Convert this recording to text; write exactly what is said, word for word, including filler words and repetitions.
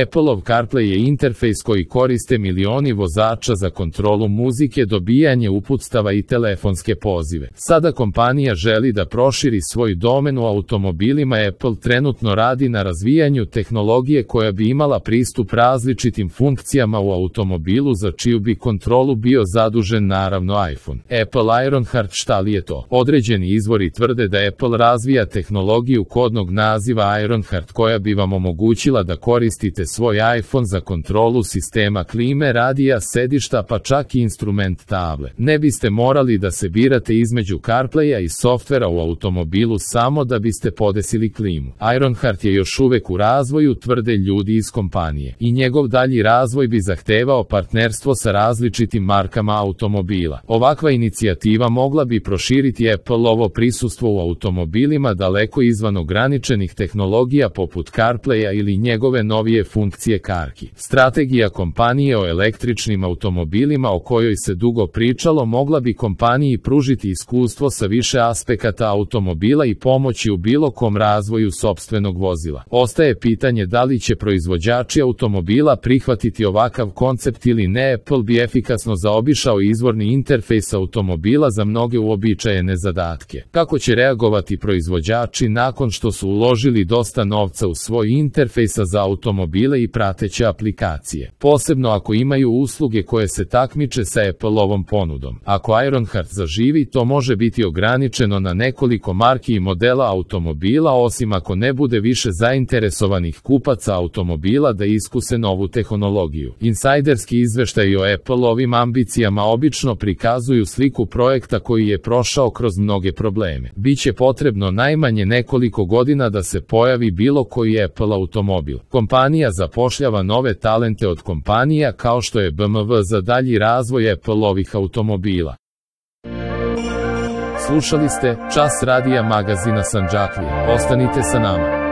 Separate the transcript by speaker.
Speaker 1: Appleov CarPlay je interfejs koji koriste milioni vozača za kontrolu muzike, dobijanje uputstava i telefonske pozive. Sada kompanija želi da proširi svoj domen u automobilima. Apple trenutno radi na razvijanju tehnologije koja bi imala pristup različitim funkcijama u automobilu, za čiju bi kontrolu bio zadužen naravno iPhone. Apple Ironheart. Šta li je to? Određeni izvori tvrde da Apple razvija tehnologiju kodnog naziva Ironheart koja bi vam omogućila da koristite svoj iPhone za kontrolu sistema klime, radija, sedišta, pa čak i instrument table. Ne biste morali da se birate između CarPlaya i softvera u automobilu samo da biste podesili klimu. Ironheart je još uvek u razvoju, tvrde ljudi iz kompanije, i njegov dalji razvoj bi zahtevao partnerstvo sa različitim markama automobila. Ovakva inicijativa mogla bi proširiti Appleovo prisustvo u automobilima daleko izvan ograničenih tehnologija poput CarPlaya ili njegove novije funkcije Carkey. Strategija kompanije o električnim automobilima o kojoj se dugo pričalo mogla bi kompaniji pružiti iskustvo sa više aspekata automobila i pomoći u bilo kom razvoju sopstvenog vozila. Ostaje pitanje da li će proizvođači automobila prihvatiti ovakav koncept ili ne. Apple bi efikasno zaobišao izvorni interfejs automobila za mnoge uobičajene zadatke. Kako će reagovati proizvođači nakon što su uložili dosta novca u svoj interfejsa za automobile i prateće aplikacije, posebno ako imaju usluge koje se takmiče sa Appleovom ponudom? Ako Ironheart zaživi, to može biti ograničeno na nekoliko marki i modela automobila, osim ako ne bude više zainteresovanih kupaca automobila da iskuse novu tehnologiju. Insajderski izveštaji o Appleovim ambicijama obično prikazuju sliku projekta koji je prošao kroz mnoge probleme. Biće potrebno najmanje nekoliko godina da se pojavi bilo koji Apple automobil. Kompanija zapošljava nove talente od kompanija kao što je B M W za dalji razvoj Appleovih automobila. Slušali ste Čas radija magazina Sandžaklija. Ostanite sa nama.